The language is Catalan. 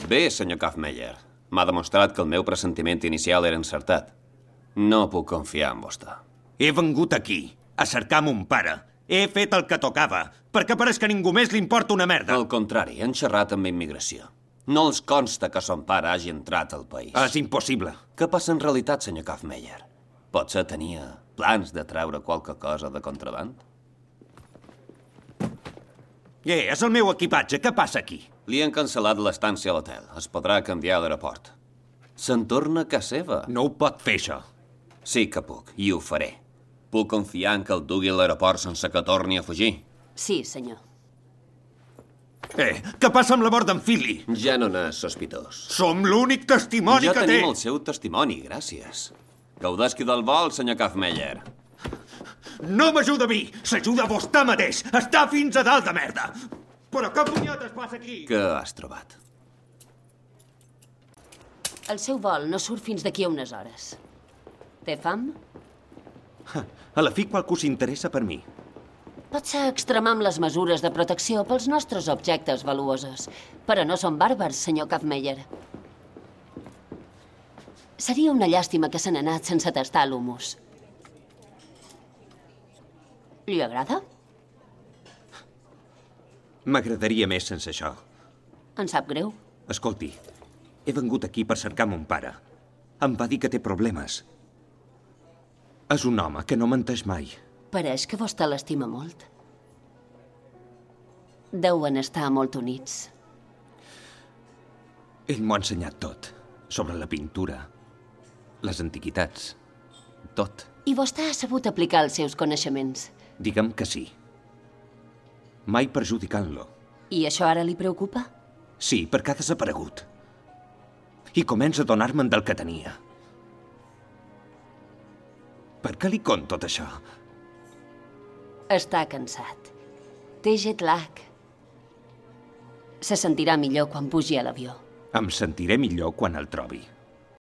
Bé, senyor Kaufmeyer. M'ha demostrat que el meu pressentiment inicial era encertat. No puc confiar en vostè. He vengut aquí, a cercar mon pare. He fet el que tocava, perquè pareix que a ningú més li importa una merda. Al contrari, han xerrat amb immigració. No els consta que son pare hagi entrat al país. És impossible. Què passa en realitat, senyor Kaufmeyer? Potser tenia plans de treure qualque cosa de contraband? És el meu equipatge. Què passa aquí? Li han cancel·lat l'estància a l'hotel. Es podrà canviar a l'aeroport. Se'n torna a casa seva. No ho pot fer, això. Sí que puc, i ho faré. Puc confiar en que el dugui a l'aeroport sense que torni a fugir? Sí, senyor. Què passa amb la mort d'en Philly? Ja no n'és sospitós. Som l'únic testimoni Ja que té. tenim el seu testimoni, gràcies. Gaudesqui del vol, senyor Kaufmeyer. No m'ajuda a mi, s'ajuda a vostè mateix. Està fins a dalt de merda. Però què punyetes passa aquí? Què has trobat? El seu vol no surt fins d'aquí a unes hores. Té fam? A la fi qualcú s'interessa per mi. Potser extremam les mesures de protecció pels nostres objectes valuosos, però no són bàrbars, senyor Kaufmeyer. Seria una llàstima que se n'ha anat sense tastar l'humus. Li agrada? M'agradaria més sense això. En sap greu? Escolti, he vengut aquí per cercar mon pare. Em va dir que té problemes. És un home que no menteix mai. Pareix que vostè l'estima molt. Deuen estar molt units. Ell m'ho ha ensenyat tot. Sobre la pintura, les antiguitats, tot. I vostè ha sabut aplicar els seus coneixements. Digue'm que sí. Mai perjudicant-lo. I això ara li preocupa? Sí, perquè ha desaparegut. I comença a donar-me'n del que tenia. Per què li conto tot això? Està cansat. Té jet lag. Se sentirà millor quan pugi a l'avió. Em sentiré millor quan el trobi.